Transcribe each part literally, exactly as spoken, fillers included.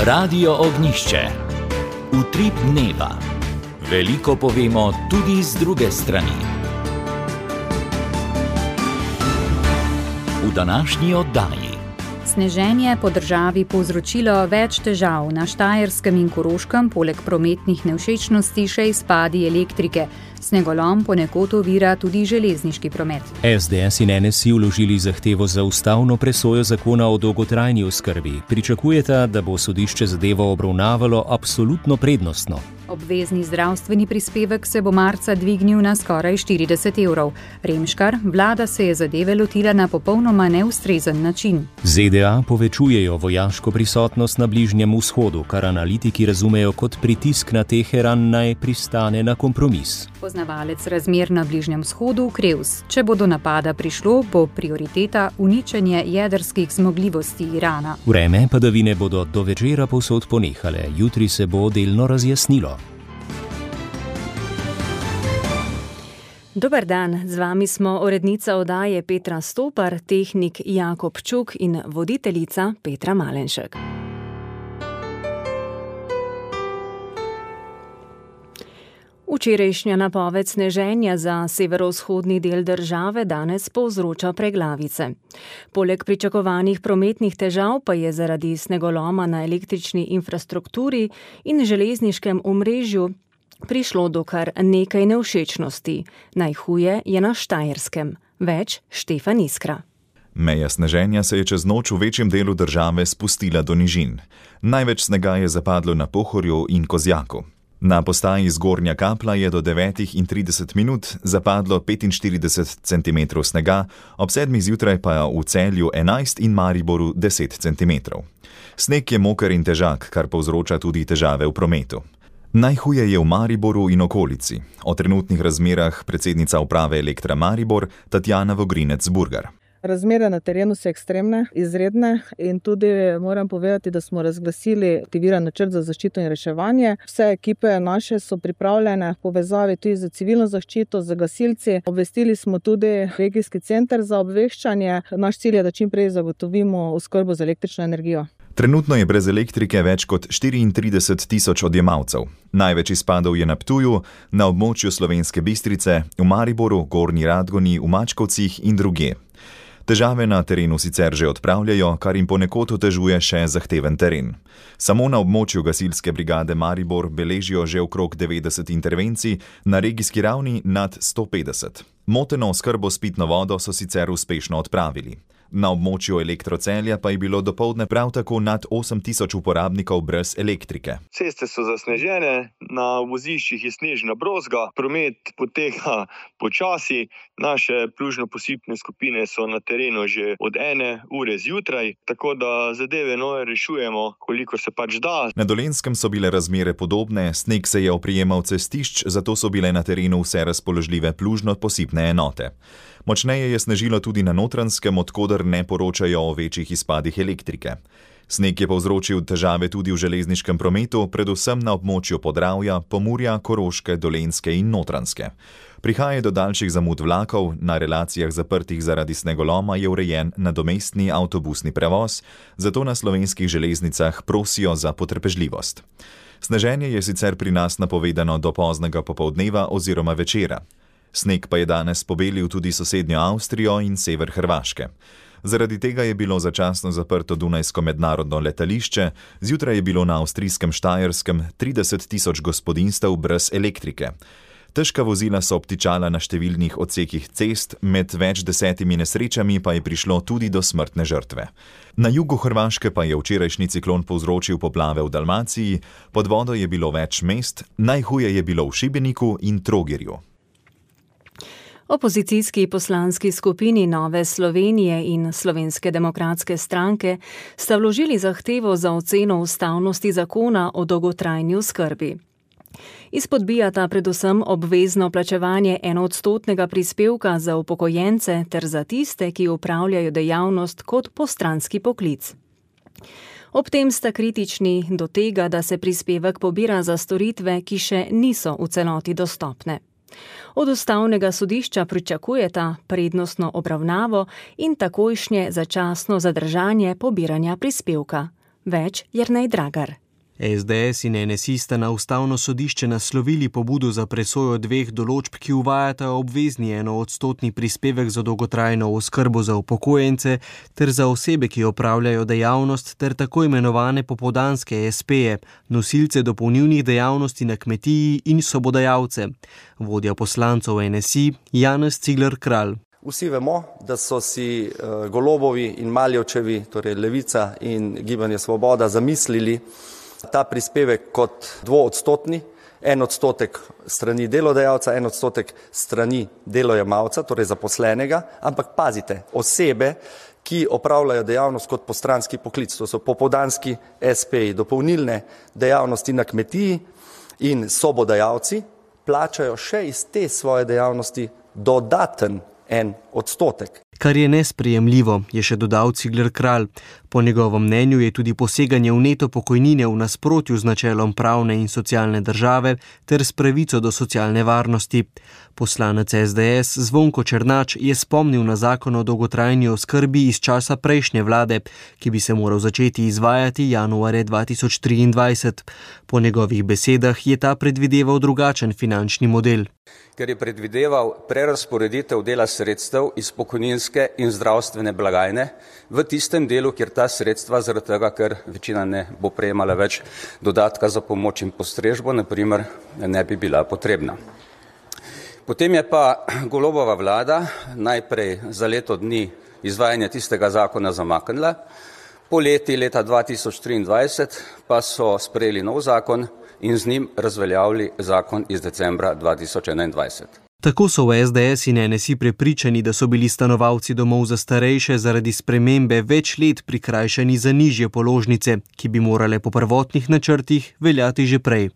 Radio Ognjišče. Utrip dneva. Veliko povemo tudi z druge strani. V današnji oddaji. Sneženje po državi povzročilo več težav. Na Štajerskem in Koroškem poleg prometnih nevšečnosti še izpadi elektrike. Snegolom ponekod ovira tudi železniški promet. es de es in en es i vložili zahtevo za ustavno presojo zakona o dolgotrajni oskrbi. Pričakujeta, da bo sodišče zadevo obravnavalo absolutno prednostno. Obvezni zdravstveni prispevek se bo marca dvignil na skoraj štirideset evrov. Remškar, vlada se je zadeve lotila na popolnoma neustrezen način. ze de a povečujejo vojaško prisotnost na Bližnjem vzhodu, kar analitiki razumejo kot pritisk na Teheran naj pristane na kompromis. Poznavalec razmer na Bližnjem vzhodu Krevs. Če bo do napada prišlo, bo prioriteta uničenje jedrskih zmogljivosti Irana. Vreme padavine bodo do večera povsod ponehale, jutri se bo delno razjasnilo. Dober dan, z vami smo urednica oddaje Petra Stopar, tehnik Jakob Čuk in voditeljica Petra Malenšek. Včerajšnja napoved sneženja za severovzhodni del države danes povzroča preglavice. Poleg pričakovanih prometnih težav pa je zaradi snegoloma na električni infrastrukturi in železniškem omrežju prišlo do kar nekaj nevšečnosti. Najhuje je na Štajerskem. Več Štefan Iskra. Meja sneženja se je čez noč v večjem delu države spustila do nižin. Največ snega je zapadlo na Pohorju in Kozjaku. Na postaji Zgornja Kapla je do devetih in trideset minut zapadlo petinštirideset centimetrov snega, ob sedmih zjutraj pa v Celju enajst in Mariboru deset centimetrov. Sneg je moker in težak, kar povzroča tudi težave v prometu. Najhuje je v Mariboru in okolici. O trenutnih razmerah predsednica uprave Elektra Maribor Tatjana Vogrinec-Burgar. Razmere na terenu so ekstremne, izredne in tudi moram povedati, da smo razglasili aktiviran načrt za zaščito in reševanje. Vse ekipe naše so pripravljene v povezavi tudi z civilno zaščito, z gasilci. Obvestili smo tudi regijski center za obveščanje. Naš cilj je, da čim prej zagotovimo oskrbo z električno energijo. Trenutno je brez elektrike več kot štiriintrideset tisoč odjemalcev. Največ izpadov je na Ptuju, na območju Slovenske Bistrice, v Mariboru, Gornji Radgoni, v Mačkovcih in drugje. Težave na terenu sicer že odpravljajo, kar jim ponekod otežuje še zahteven teren. Samo na območju gasilske brigade Maribor beležijo že okrog devetdeset intervencij, na regijski ravni nad sto petdeset. Moteno oskrbo s pitno vodo so sicer uspešno odpravili. Na območju Elektrocelja pa je bilo dopoldne prav tako nad osem tisoč uporabnikov brez elektrike. Ceste so zasnežene, na voziščih je snežna brozga, promet poteka počasi, naše plužno-posipne skupine so na terenu že od ene ure zjutraj, tako da zadeve nove rešujemo, kolikor se pač da. Na Dolenjskem so bile razmere podobne, sneg se je oprijemal cestišč, zato so bile na terenu vse razpoložljive plužno-posipne enote. Močneje je snežilo tudi na Notranjskem, odkoder ne poročajo o večjih izpadih elektrike. Sneg je povzročil težave tudi v železniškem prometu, predvsem na območju Podravja, Pomurja, Koroške, Dolenjske in Notranjske. Prihaja do daljših zamud vlakov, na relacijah zaprtih zaradi snegoloma je urejen nadomestni avtobusni prevoz, zato na slovenskih železnicah prosijo za potrpežljivost. Sneženje je sicer pri nas napovedano do poznega popoldneva oziroma večera. Sneg pa je danes pobelil tudi sosednjo Avstrijo in sever Hrvaške. Zaradi tega je bilo začasno zaprto Dunajsko mednarodno letališče, zjutraj je bilo na avstrijskem Štajerskem trideset tisoč gospodinjstev brez elektrike. Težka vozila so obtičala na številnih odsekih cest, med več desetimi nesrečami pa je prišlo tudi do smrtne žrtve. Na jugu Hrvaške pa je včerajšnji ciklon povzročil poplave v Dalmaciji, pod vodo je bilo več mest, najhuje je bilo v Šibeniku in Trogirju. Opozicijski poslanski skupini Nove Slovenije in Slovenske demokratske stranke sta vložili zahtevo za oceno ustavnosti zakona o dolgotrajni oskrbi. Izpodbijata predvsem obvezno plačevanje enoodstotnega prispevka za upokojence ter za tiste, ki opravljajo dejavnost kot postranski poklic. Ob tem sta kritični do tega, da se prispevek pobira za storitve, ki še niso v celoti dostopne. Od ustavnega sodišča pričakujeta prednostno obravnavo in takojšnje začasno zadržanje pobiranja prispevka. Več Jernej Dragar. S D S in N S I sta na ustavno sodišče naslovili pobudo za presojo dveh določb, ki uvajata obvezni enoodstotni prispevek za dolgotrajno oskrbo za upokojence ter za osebe, ki opravljajo dejavnost, ter tako imenovane popoldanske es peje, nosilce dopolnilnih dejavnosti na kmetiji in sobodajalce. Vodja poslancev N S I Janez Cigler Kralj. Vsi vemo, da so si uh, Golobovi in Maljevčevi, torej Levica in Gibanje Svoboda, zamislili ta prispevek kot dvoodstotni, en odstotek strani delodajalca, en odstotek strani delojemalca, torej zaposlenega, ampak pazite, osebe, ki opravljajo dejavnost kot postranski poklic, to so popoldanski es peji, dopolnilne dejavnosti na kmetiji in sobodajalci, plačajo še iz te svoje dejavnosti dodaten en odstotek. Kar je nesprejemljivo, je še dodal Cigler Kralj. Po njegovem mnenju je tudi poseganje v neto pokojnine v nasprotju z načelom pravne in socialne države ter s pravico do socialne varnosti. Poslanec S D S Zvonko Černač je spomnil na zakon o dolgotrajni oskrbi iz časa prejšnje vlade, ki bi se moral začeti izvajati januarja dva tisoč triindvajset. Po njegovih besedah je ta predvideval drugačen finančni model. Ker je predvideval prerazporeditev dela sredstev iz pokojninske in zdravstvene blagajne v tistem delu, kjer ta sredstva, zaradi tega, ker večina ne bo prejemala več dodatka za pomoč in postrežbo, na primer, ne bi bila potrebna. Potem je pa Golobova vlada najprej za leto dni izvajanja tistega zakona zamaknila, po leti leta dva tisoč triindvajset pa so sprejeli nov zakon in z njim razveljavili zakon iz decembra dva tisoč enaindvajset. Tako so v S D S in N S I prepričani, da so bili stanovalci domov za starejše zaradi spremembe več let prikrajšani za nižje položnice, ki bi morale po prvotnih načrtih veljati že prej.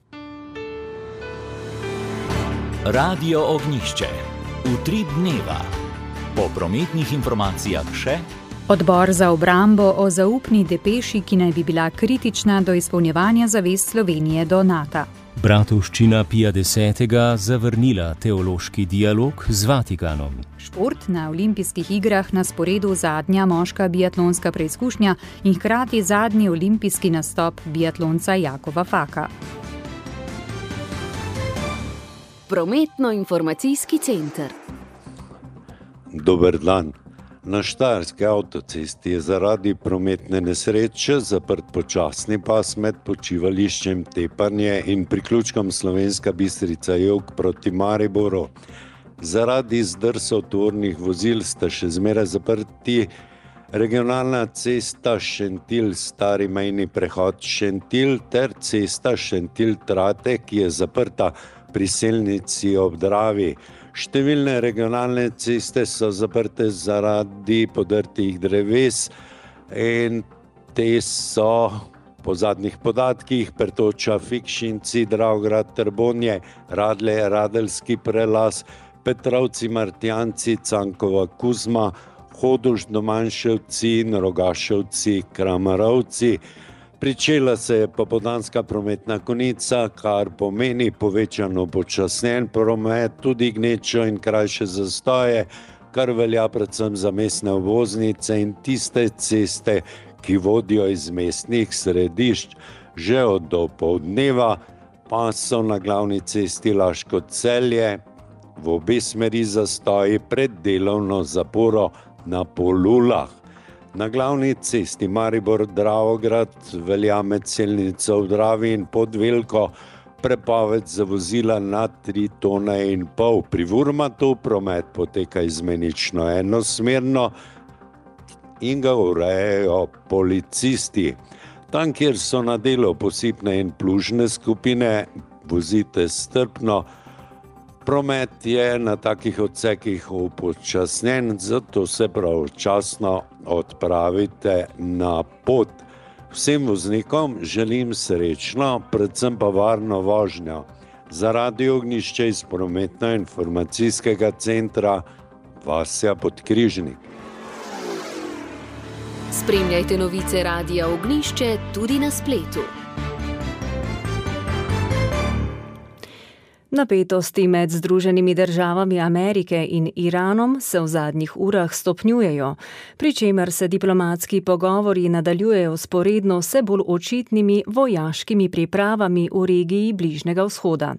Radio Ognjišče. Utrip dneva. Po prometnih informacijah še Odbor za obrambo o zaupni depeši, ki naj bi bila kritična do izpolnjevanja zavez Slovenije do Nata. Bratovščina Pija desetega zavrnila teološki dialog z Vatikanom. Šport, na olimpijskih igrah na sporedu zadnja moška biatlonska preizkušnja in hkrati zadnji olimpijski nastop biatlonca Jakova Faka. Prometno-informacijski center. Dober dan. Na Štajerski avtocesti je zaradi prometne nesreče zaprt počasni pas med počivališčem Tepanje in priključkom Slovenska Bistrica jug proti Mariboru. Zaradi zdrsov tovornih vozil sta še zmeraj zaprti regionalna cesta Šentilj stari mejni prehod Šentilj ter cesta Šentilj-Trate, ki je zaprta pri Selnici ob Dravi. Številne regionalne ceste so zaprte zaradi podrtih dreves in te so po zadnjih podatkih Pertoča, Fikšinci, Dravograd, Trbonje, Radlje, Radeljski prelaz, Petrovci, Martjanci, Cankova, Kuzma, Hodoš, Domanševci in Rogaševci, Kramarovci. Pričela se je popoldanska prometna konica, kar pomeni povečano počasnjen promet, tudi gnečo in krajše zastoje, kar velja predvsem za mestne obvoznice in tiste ceste, ki vodijo iz mestnih središč. Že od dopoldneva pa so na glavni cesti Laško-Celje v obe smeri zastoji pred delovno zaporo na Polulah. Na glavni cesti Maribor-Dravograd velja med Selnico v Dravi in Podvelko prepoved za vozila nad tri tone in pol. Pri Vurmatu promet poteka izmenično enosmerno in ga urejajo policisti. Tam, kjer so na delu posipne in plužne skupine, vozite strpno. Promet je na takih odsekih upočasnjen, zato se pravočasno odpravite na pot. Vsem voznikom želim srečno, predvsem pa varno vožnjo. Za Radio Ognjišče iz prometno-informacijskega centra Vasja Podkrižnik. Spremljajte novice Radia Ognjišče tudi na spletu. Napetosti med Združenimi državami Amerike in Iranom se v zadnjih urah stopnjujejo, pri čemer se diplomatski pogovori nadaljujejo sporedno vse bolj očitnimi vojaškimi pripravami v regiji Bližnjega vzhoda.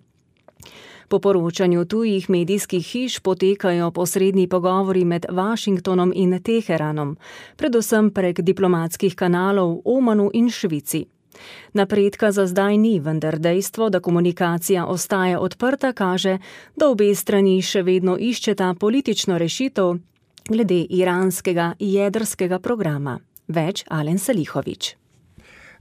Po poročanju tujih medijskih hiš potekajo posredni pogovori med Washingtonom in Teheranom, predvsem prek diplomatskih kanalov v Omanu in Švici. Napredka za zdaj ni, vendar dejstvo, da komunikacija ostaja odprta, kaže, da obe strani še vedno iščeta politično rešitev glede iranskega jedrskega programa. Več Alen Salihović.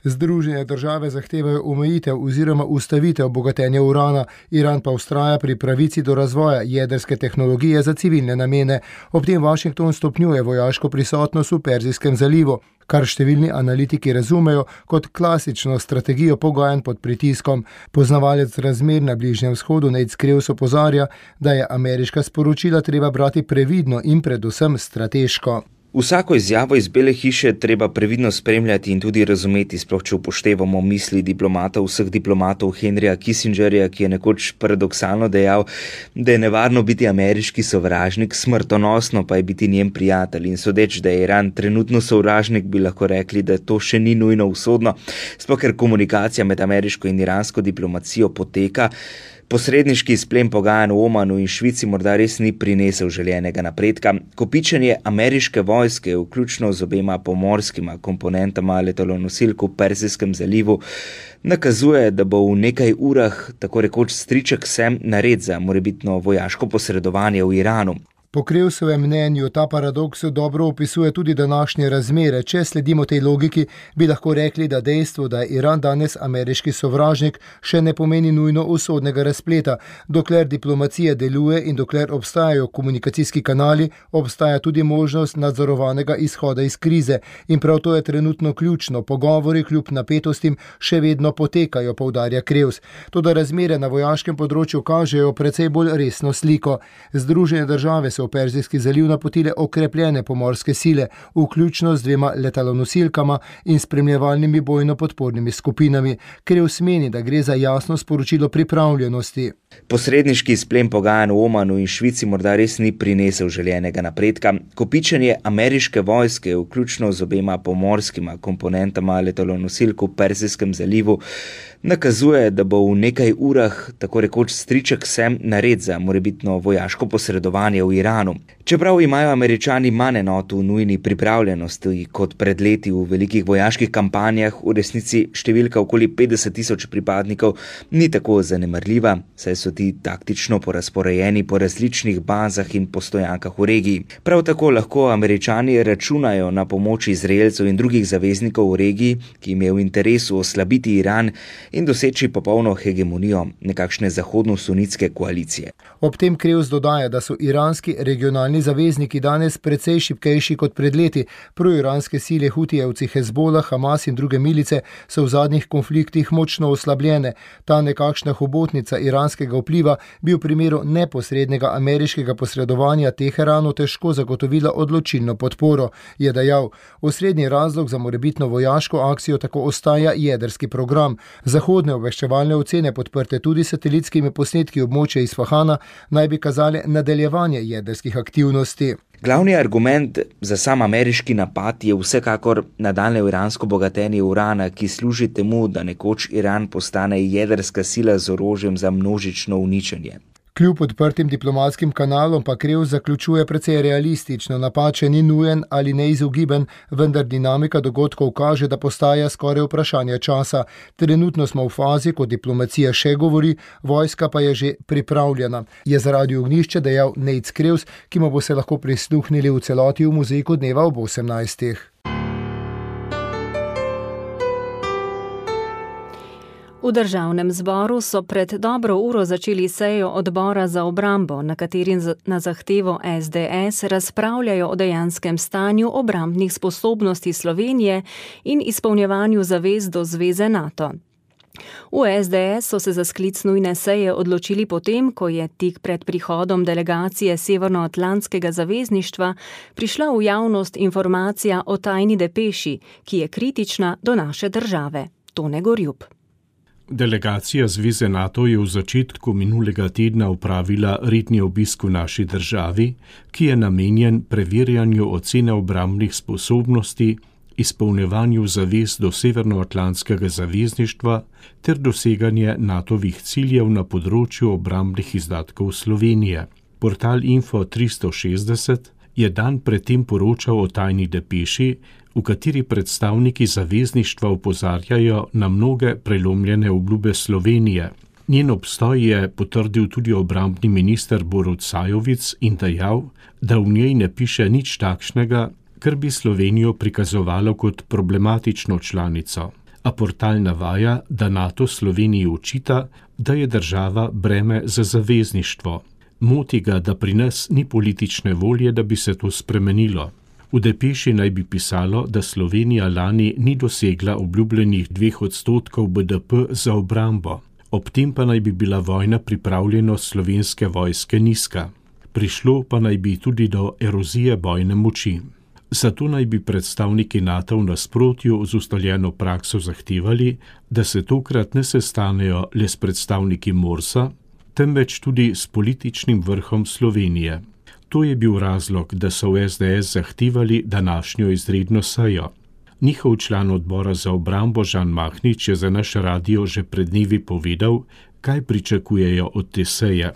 Združene države zahtevajo omejitev oziroma ustavitev bogatenja urana, Iran pa vztraja pri pravici do razvoja jedrske tehnologije za civilne namene. Ob tem Washington stopnjuje vojaško prisotnost v Perzijskem zalivu, kar številni analitiki razumejo kot klasično strategijo pogajanj pod pritiskom. Poznavalec razmer na Bližnjem vzhodu Nate Skrews opozarja, da je ameriška sporočila treba brati previdno in predvsem strateško. Vsako izjavo iz Bele hiše treba previdno spremljati in tudi razumeti, sploh če upoštevamo misli diplomatov, vseh diplomatov Henryja Kissingerja, ki je nekoč paradoksalno dejal, da je nevarno biti ameriški sovražnik, smrtonosno pa je biti njen prijatelj. In sodeč, da je Iran trenutno sovražnik, bi lahko rekli, da to še ni nujno usodno, sploh ker komunikacija med ameriško in iransko diplomacijo poteka. Posredniški izplen pogajanj v Omanu in Švici morda res ni prinesel željenega napredka. Kopičenje ameriške vojske, vključno z obema pomorskima komponentama letalonosilk v Perzijskem zalivu, nakazuje, da bo v nekaj urah tako rekoč striček sem nared za morebitno vojaško posredovanje v Iranu. Po Krevsovem mnenju ta paradoks dobro opisuje tudi današnje razmere. Če sledimo tej logiki, bi lahko rekli, da dejstvo, da je Iran danes ameriški sovražnik, še ne pomeni nujno usodnega razpleta. Dokler diplomacija deluje in dokler obstajajo komunikacijski kanali, obstaja tudi možnost nadzorovanega izhoda iz krize. In prav to je trenutno ključno. Pogovori kljub napetostim še vedno potekajo, poudarja Krevs. Toda razmere na vojaškem področju kažejo precej bolj resno sliko. Združene države v Perzijski zaliv napotile okrepljene pomorske sile, vključno z dvema letalonosilkama in spremljevalnimi bojno-podpornimi skupinami, Krevs meni, da gre za jasno sporočilo pripravljenosti. Posredniški izplen pogajanj v Omanu in Švici morda res ni prinesel željenega napredka. Kopičenje ameriške vojske, vključno z obema pomorskima komponentama letalonosilk v Perzijskem zalivu, nakazuje, da bo v nekaj urah tako rekoč striček sem nared za morebitno vojaško posredovanje v Iranu. Čeprav imajo Američani manj enot v nujni pripravljenosti kot pred leti v velikih vojaških kampanjah, v resnici številka okoli petdeset tisoč pripadnikov ni tako zanemarljiva, saj so ti taktično porazporejeni po različnih bazah in postojankah v regiji. Prav tako lahko Američani računajo na pomoč Izraelcev in drugih zaveznikov v regiji, ki jim je v interesu oslabiti Iran in doseči popolno hegemonijo nekakšne zahodno-sunitske koalicije. Ob tem Krevs dodaja, da so iranski regionalni zavezniki danes precej šibkejši kot pred leti. Proiranske sile Hutijevci, Hezbolah, Hamas in druge milice so v zadnjih konfliktih močno oslabljene. Ta nekakšna hobotnica iranskega vpliva bi v primeru neposrednega ameriškega posredovanja Teheranu težko zagotovila odločilno podporo, je dejal. Osrednji razlog za morebitno vojaško akcijo tako ostaja jedrski program. Zahodne obveščevalne ocene, podprte tudi satelitskimi posnetki območja Isfahana, naj bi kazale nadaljevanje jedrskih aktivnosti. Glavni argument za sam ameriški napad je vsekakor nadaljnje iransko bogatenje urana, ki služi temu, da nekoč Iran postane jedrska sila z orožjem za množično uničenje. Kljub odprtim diplomatskim kanalom pa Krevs zaključuje precej realistično. Napad še ni nujen ali neizogiben, vendar dinamika dogodkov kaže, da postaja skoraj vprašanje časa. Trenutno smo v fazi, ko diplomacija še govori, vojska pa je že pripravljena. Je za Radio Ognjišče dejal Nate Krevs, ki mu bo se lahko prisluhnili v celoti v Muzejku dneva ob osemnajstih. V državnem zboru so pred dobro uro začeli sejo odbora za obrambo, na kateri na zahtevo es de es razpravljajo o dejanskem stanju obrambnih sposobnosti Slovenije in izpolnjevanju zavez do zveze NATO. V es de es so se za sklic nujne seje odločili potem, ko je tik pred prihodom delegacije Severnoatlantskega zavezništva prišla v javnost informacija o tajni depeši, ki je kritična do naše države. Tone Gorjup. Delegacija Zveze NATO je v začetku minulega tedna opravila redni obisk v naši državi, ki je namenjen preverjanju ocene obrambnih sposobnosti, izpolnjevanju zavez do Severnoatlantskega zavezništva ter doseganje natovih ciljev na področju obrambnih izdatkov Slovenije. Portal Info tristo šestdeset je dan predtem poročal o tajni depeši, v kateri predstavniki zavezništva opozarjajo na mnoge prelomljene obljube Slovenije. Njen obstoj je potrdil tudi obrambni minister Borut Sajovic in dejal, da v njej ne piše nič takšnega, kar bi Slovenijo prikazovalo kot problematično članico. A portal navaja, da NATO Sloveniji očita, da je država breme za zavezništvo. Moti ga, da pri nas ni politične volje, da bi se to spremenilo. V depeši naj bi pisalo, da Slovenija lani ni dosegla obljubljenih dveh odstotkov B D P za obrambo. Ob tem pa naj bi bila vojna pripravljenost slovenske vojske nizka. Prišlo pa naj bi tudi do erozije bojne moči. Zato naj bi predstavniki NATO v nasprotju z ustaljeno prakso zahtevali, da se tokrat ne sestanejo le s predstavniki Morsa, temveč tudi s političnim vrhom Slovenije. To je bil razlog, da so v S D S zahtevali današnjo izredno sejo. Njihov član odbora za obrambo Žan Mahnič je za naš radio že pred dnevi povedal, kaj pričakujejo od te seje.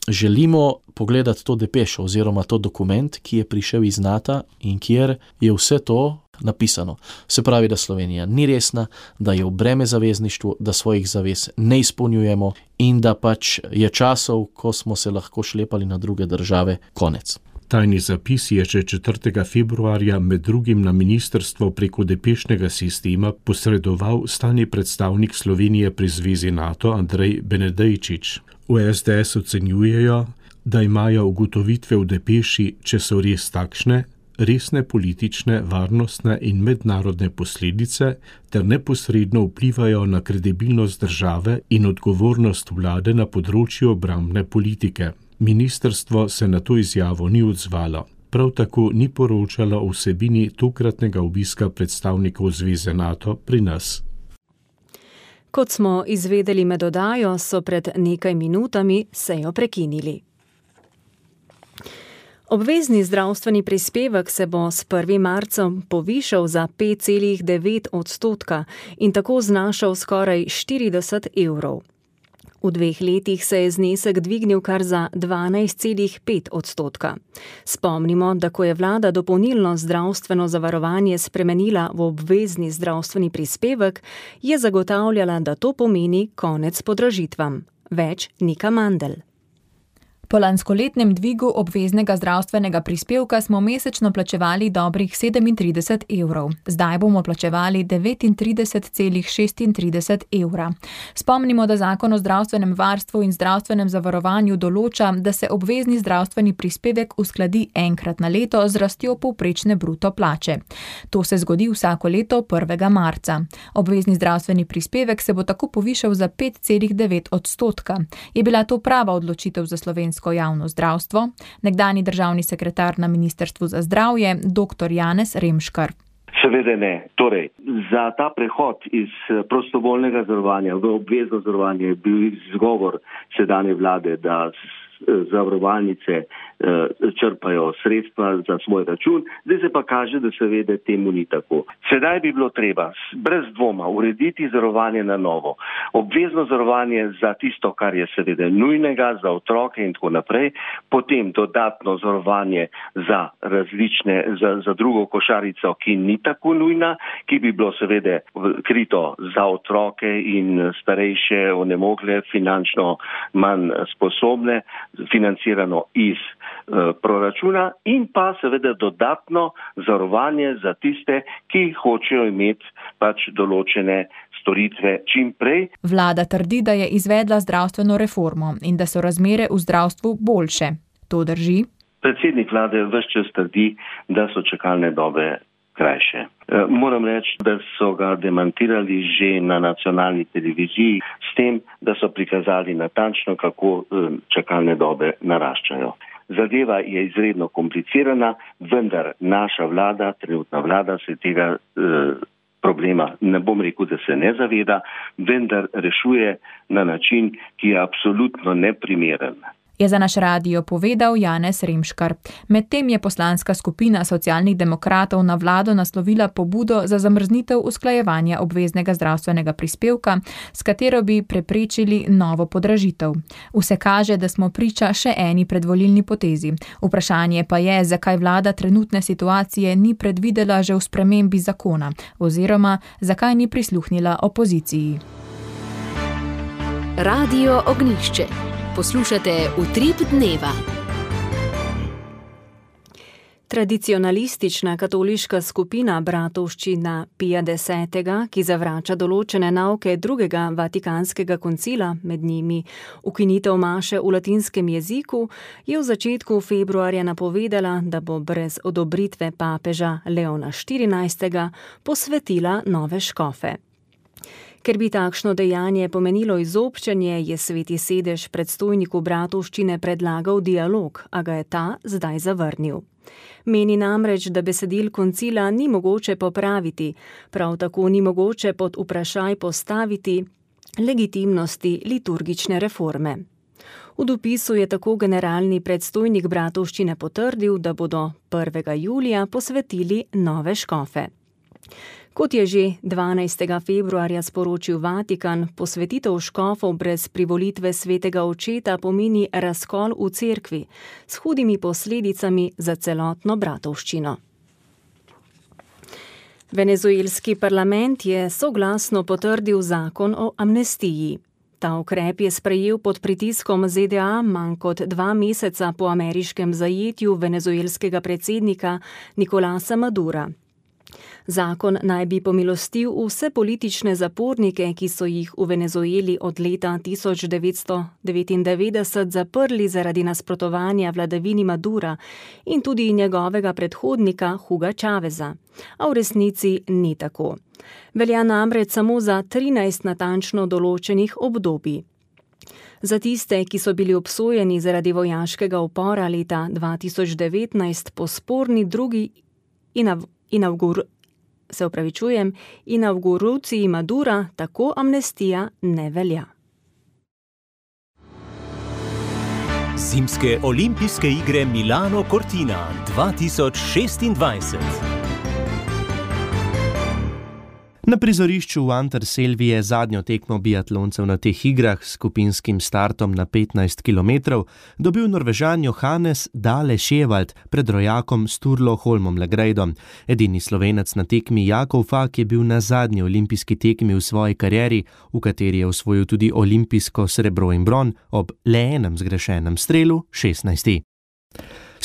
Želimo pogledati to depešo oziroma to dokument, ki je prišel iz NATO in kjer je vse to napisano. Se pravi, da Slovenija ni resna, da je v breme zavezništvu, da svojih zavez ne izpolnjujemo in da pač je časov, ko smo se lahko šlepali na druge države, konec. Tajni zapis je že četrtega februarja med drugim na ministrstvo preko depešnega sistema posredoval stalni predstavnik Slovenije pri Zvezi NATO Andrej Benedejčič. V S D S ocenjujejo, da imajo ugotovitve v depeši, če so res takšne, resne politične, varnostne in mednarodne posledice ter neposredno vplivajo na kredibilnost države in odgovornost vlade na področju obrambne politike. Ministrstvo se na to izjavo ni odzvalo. Prav tako ni poročalo o vsebini tokratnega obiska predstavnikov Zveze NATO pri nas. Kot smo izvedeli med oddajo, so pred nekaj minutami sejo prekinili. Obvezni zdravstveni prispevek se bo s prvim marcem povišal za pet celih devet odstotka in tako znašal skoraj štirideset evrov. V dveh letih se je znesek dvignil kar za dvanajst celih pet odstotka. Spomnimo, da ko je vlada dopolnilno zdravstveno zavarovanje spremenila v obvezni zdravstveni prispevek, je zagotavljala, da to pomeni konec podražitvam. Več Nika Mandl. Po lanskoletnem dvigu obveznega zdravstvenega prispevka smo mesečno plačevali dobrih sedemintrideset evrov. Zdaj bomo plačevali devetintrideset celih šestintrideset evra. Spomnimo, da zakon o zdravstvenem varstvu in zdravstvenem zavarovanju določa, da se obvezni zdravstveni prispevek uskladi enkrat na leto z rastjo povprečne bruto plače. To se zgodi vsako leto prvega marca. Obvezni zdravstveni prispevek se bo tako povišal za pet celih devet odstotka. Je bila to prava odločitev za slovensko javno zdravstvo? Nekdanji državni sekretar na Ministrstvu za zdravje, doktor Janez Remškar. Seveda ne. Torej, za ta prehod iz prostovoljnega zavarovanja v obvezno zavarovanje je bil izgovor sedanje vlade, da zavarovalnice črpajo sredstva za svoj račun, zdaj se pa kaže, da seveda temu ni tako. Sedaj bi bilo treba brez dvoma urediti zavarovanje na novo. Obvezno zavarovanje za tisto, kar je seveda nujnega, za otroke in tako naprej, potem dodatno zavarovanje za različne, za, za drugo košarico, ki ni tako nujna, ki bi bilo seveda krito za otroke in starejše, onemogle, finančno manj sposobne, financirano iz e, proračuna in pa seveda dodatno zavarovanje za tiste, ki hočejo imeti pač določene storitve čim prej. Vlada trdi, da je izvedla zdravstveno reformo in da so razmere v zdravstvu boljše. To drži? Predsednik vlade ves čas trdi, da so čakalne dobe krajše. E, moram reči, da so ga demantirali že na nacionalni televiziji s tem, da so prikazali natančno, kako e, čakalne dobe naraščajo. Zadeva je izredno komplicirana, vendar naša vlada, trenutna vlada se tega e, problema. Ne bom rekel, da se ne zaveda, vendar rešuje na način, ki je absolutno neprimeren. Je za naš radio povedal Janez Remškar. Medtem je poslanska skupina Socialnih demokratov na vlado naslovila pobudo za zamrznitev usklajevanja obveznega zdravstvenega prispevka, s katero bi preprečili novo podražitev. Vse kaže, da smo priča še eni predvolilni potezi. Vprašanje pa je, zakaj vlada trenutne situacije ni predvidela že v spremembi zakona, oziroma zakaj ni prisluhnila opoziciji. Radio Ognjišče. Poslušate Utrip dneva. Tradicionalistična katoliška skupina Bratovščina Pija desetega, ki zavrača določene nauke drugega vatikanskega koncila, med njimi ukinitev maše v latinskem jeziku, je v začetku februarja napovedala, da bo brez odobritve papeža Leona štirinajstega posvetila nove škofe. Ker bi takšno dejanje pomenilo izobčenje, je Sveti sedež predstojniku Bratovščine predlagal dialog, a ga je ta zdaj zavrnil. Meni namreč, da besedil koncila ni mogoče popraviti, prav tako ni mogoče pod vprašaj postaviti legitimnosti liturgične reforme. V dopisu je tako generalni predstojnik Bratovščine potrdil, da bodo prvega julija posvetili nove škofe. Kot je že dvanajstega februarja sporočil Vatikan, posvetitev škofov brez privolitve svetega očeta pomeni razkol v cerkvi s hudimi posledicami za celotno Bratovščino. Venezuelski parlament je soglasno potrdil zakon o amnestiji. Ta ukrep je sprejel pod pritiskom Z D A manj kot dva meseca po ameriškem zajetju venezuelskega predsednika Nicolasa Madura. Zakon naj bi pomilostil vse politične zapornike, ki so jih v Venezueli od leta tisoč devetsto devetindevetdeset zaprli zaradi nasprotovanja vladavini Madura in tudi njegovega predhodnika Huga Chaveza. A v resnici ni tako. Velja namreč samo za trinajst natančno določenih obdobij. Za tiste, ki so bili obsojeni zaradi vojaškega upora leta dva tisoč devetnajst po sporni drugi inav Inaugur, se upravičujem, inauguruciji Madura tako amnestija ne velja. Zimske olimpijske igre Milano Cortina dva tisoč šestindvajset. Na prizorišču v Anterselvi je zadnjo tekmo biatloncev na teh igrah s skupinskim startom na petnajst kilometrov dobil Norvežan Johannes Dale Sjevald pred rojakom Sturlo Holmom Legreidom. Edini Slovenec na tekmi Jakov Fak je bil na zadnji olimpijski tekmi v svoji karieri, v kateri je osvojil tudi olimpijsko srebro in bron ob le enem zgrešenem strelu šestnajsti.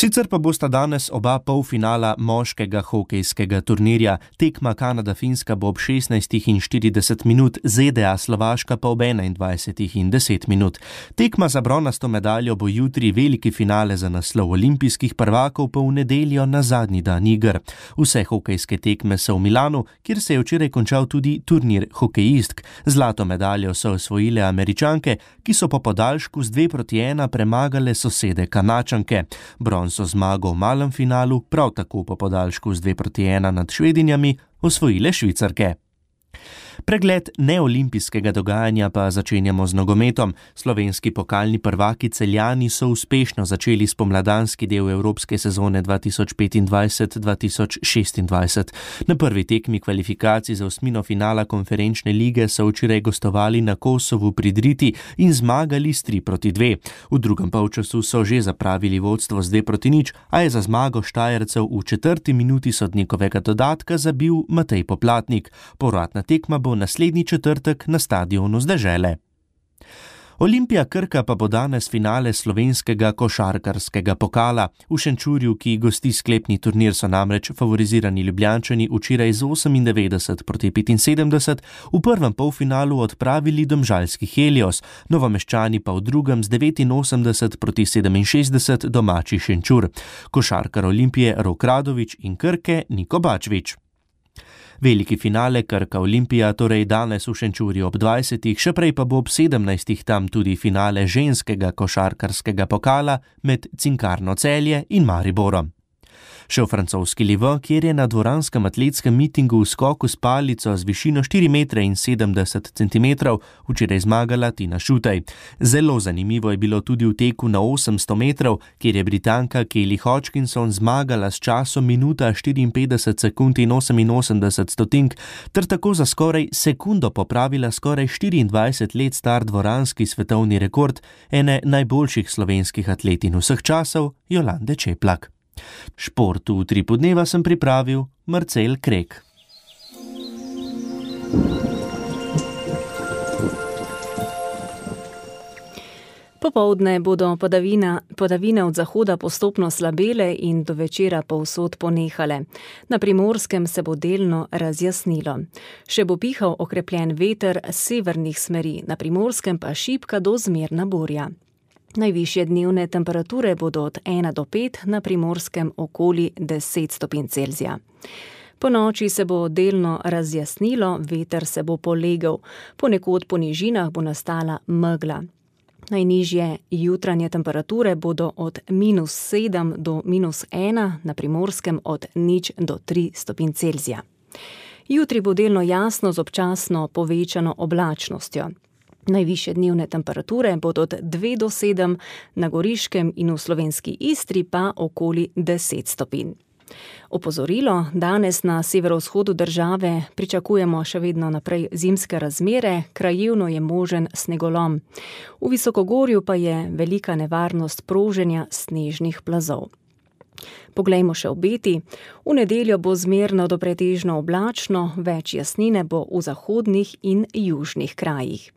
Sicer pa bosta danes oba polfinala moškega hokejskega turnirja. Tekma Kanada-Finska bo ob šestnajstih in štirideset minut, Z D A-Slovaška pa ob enaindvajsetih in deset minut. Tekma za bronasto medaljo bo jutri, veliki finale za naslov olimpijskih prvakov pa v nedeljo na zadnji dan iger. Vse hokejske tekme so v Milanu, kjer se je včeraj končal tudi turnir hokejistk. Zlato medaljo so osvojile Američanke, ki so po podaljšku z dve proti ena premagale sosede Kanačanke. So zmago v malem finalu, prav tako po podaljšku z dve proti ena nad Švedinjami, osvojile Švicarke. Pregled neolimpijskega dogajanja pa začenjamo z nogometom. Slovenski pokalni prvaki Celjani so uspešno začeli spomladanski del evropske sezone dva tisoč petindvajset dva tisoč šestindvajset. Na prvi tekmi kvalifikacij za osmino finala konferenčne lige so včeraj gostovali na Kosovu pri Driti in zmagali s tri proti dve. V drugem polčasu so že zapravili vodstvo z dve proti nič, a je za zmago Štajercev v četrti minuti sodnikovega dodatka zabil Matej Poplatnik. Povratna tekma bo naslednji četrtek na stadionu z Dežele. Olimpija Krka pa bo danes finale slovenskega košarkarskega pokala. V Šenčurju, ki gosti sklepni turnir, so namreč favorizirani Ljubljančani včeraj z osemindevetdeset proti petinsedemdeset v prvem polfinalu odpravili domžalski Helios, Novomeščani pa v drugem z devetinosemdeset proti sedeminšestdeset domači Šenčur. Košarkar Olimpije Rok Radović in Krke Niko Bačvić. Veliki finale Krka Olimpija torej danes v Šenčurju ob dvajsetih, še prej pa bo ob sedemnajstih tam tudi finale ženskega košarkarskega pokala med Cinkarno Celje in Mariborom. Še v francoski Livo, kjer je na dvoranskem atletskem mitingu v skoku s palico z višino štiri metre in sedemdeset centimetrov včeraj zmagala Tina Šutej. Zelo zanimivo je bilo tudi v teku na osemsto metrov, kjer je Britanka Kelly Hodgkinson zmagala s časom minuta štiriinpetdeset sekund in oseminosemdeset stotink, ter tako za skoraj sekundo popravila skoraj štiriindvajset let star dvoranski svetovni rekord ene najboljših slovenskih atletin vseh časov, Jolande Čeplak. Šport v Utripu dneva sem pripravil Marcel Krek. Popoldne bodo padavina, padavine od zahoda postopno slabele in do večera povsod ponehale. Na Primorskem se bo delno razjasnilo. Še bo pihal okrepljen veter severnih smeri, na Primorskem pa šibka do zmerna burja. Najvišje dnevne temperature bodo od ena do pet, na Primorskem okoli deset stopinj Celzija. Po noči se bo delno razjasnilo, veter se bo polegel, ponekod po nižinah bo nastala megla. Najnižje jutranje temperature bodo od minus sedem do minus ena, na Primorskem od nič do tri stopinj Celzija. Jutri bo delno jasno z občasno povečano oblačnostjo. Najvišje dnevne temperature bodo od dve do sedem, na Goriškem in v slovenski Istri pa okoli deset stopinj. Opozorilo, danes na severovzhodu države pričakujemo še vedno naprej zimske razmere, krajevno je možen snegolom. V visokogorju pa je velika nevarnost proženja snežnih plazov. Poglejmo še obeti. V nedeljo bo zmerno do pretežno oblačno, več jasnine bo v zahodnih in južnih krajih.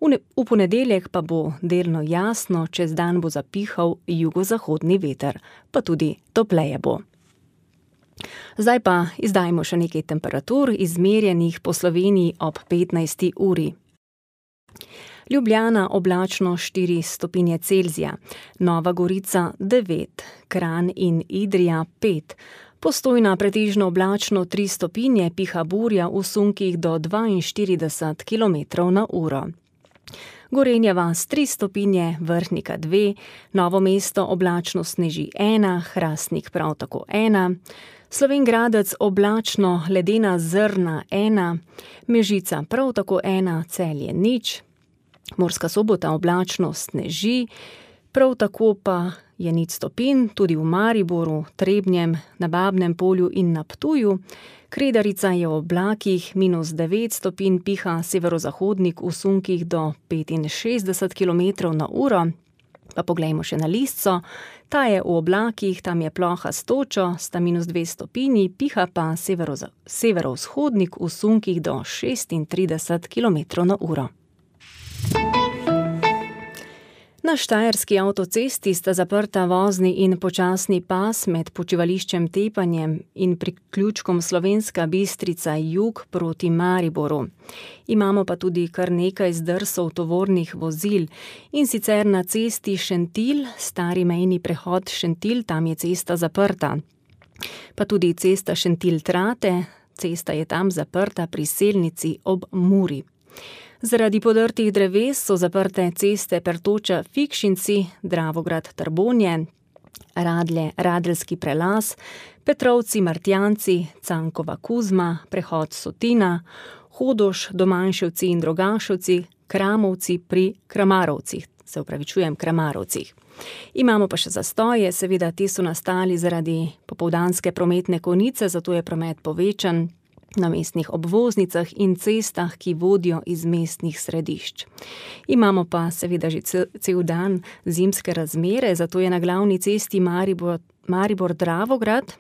V, ne, v ponedeljek pa bo delno jasno, čez dan bo zapihal jugozahodni veter, pa tudi topleje bo. Zdaj pa izdajmo še nekaj temperatur, izmerjenih po Sloveniji ob petnajsti uri. Ljubljana oblačno štiri stopinje Celzija, Nova Gorica devet, Kranj in Idrija pet, Postojna pretežno oblačno tri stopinje, piha burja v sunkih do dvainštirideset kilometrov na uro. Gorenja vas tri stopinje, Vrhnika dve, Novo mesto oblačno sneži ena, Hrastnik prav tako ena, Slovenj Gradec oblačno ledena zrna ena, Mežica prav tako ena, Celje nič, Murska Sobota oblačno sneži, prav tako pa je nič stopinj, tudi v Mariboru, Trebnjem, na Babnem Polju in na Ptuju. Kredarica je v oblakih, minus devet stopinj, piha severozahodnik v sunkih do petinšestdeset kilometrov na uro. Pa poglejmo še na Listco, ta je v oblakih, tam je ploha s točo, sta minus dve stopinji, piha pa severoza, severovzhodnik v sunkih do šestintrideset kilometrov na uro. Na štajerski avtocesti sta zaprta vozni in počasni pas med počivališčem Tepanjem in priključkom Slovenska Bistrica jug proti Mariboru. Imamo pa tudi kar nekaj zdrsov tovornih vozil, in sicer na cesti Šentilj, stari mejni prehod Šentilj, tam je cesta zaprta. Pa tudi cesta Šentilj-Trate, cesta je tam zaprta pri Selnici ob Muri. Zaradi podrtih dreves so zaprte ceste Pertoča-Fikšinci, Dravograd-Trbonje, Radlje-Radeljski prelaz, Petrovci-Martjanci, Cankova-Kuzma, prehod Sotina, Hodoš-Domanševci in Drogaševci, Kramovci pri Kramarovcih, se upravičujem, Kramarovcih. Imamo pa še zastoje, seveda ti so nastali zaradi popoldanske prometne konice, zato je promet povečan na mestnih obvoznicah in cestah, ki vodijo iz mestnih središč. Imamo pa seveda že cel, cel dan zimske razmere, zato je na glavni cesti Maribor, Maribor-Dravograd,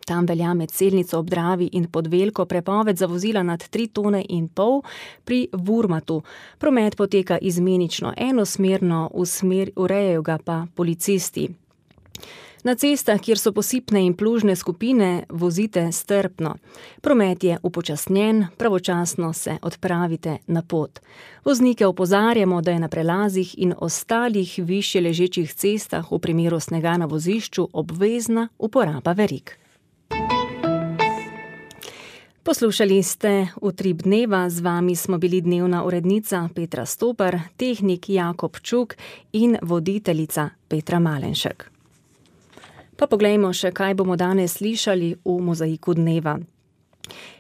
tam velja med Selnico ob Dravi in Podvelko prepoved za vozila nad tri tone in pol, pri Vurmatu. Promet poteka izmenično enosmerno, v smer, urejajo ga pa policisti. Na cestah, kjer so posipne in plužne skupine, vozite strpno. Promet je upočasnjen, pravočasno se odpravite na pot. Voznike opozarjamo, da je na prelazih in ostalih višje ležečih cestah v primeru snega na vozišču obvezna uporaba verig. Poslušali ste Utrip dneva, z vami smo bili dnevna urednica Petra Stopar, tehnik Jakob Čuk in voditeljica Petra Malenšek. Pa poglejmo še, kaj bomo danes slišali v Mozaiku dneva.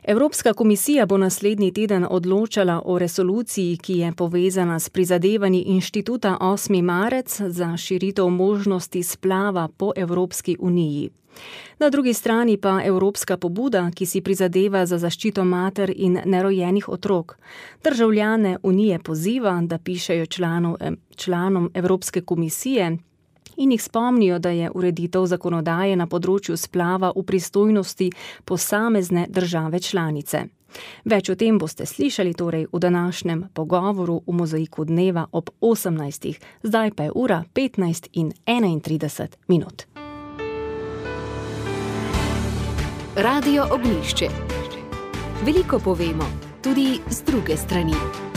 Evropska komisija bo naslednji teden odločala o resoluciji, ki je povezana s prizadevanji inštituta osmi marec za širitev možnosti splava po Evropski uniji. Na drugi strani pa evropska pobuda, ki si prizadeva za zaščito mater in nerojenih otrok. Državljane unije poziva, da pišejo članov, članom Evropske komisije in jih spomnijo, da je ureditev zakonodaje na področju splava v pristojnosti posamezne države članice. Več o tem boste slišali torej v današnjem pogovoru v Mozaiku dneva ob osemnajstih, zdaj pa je ura petnajst in enaintrideset minut. Radio Ognjišče. Veliko povemo, tudi z druge strani.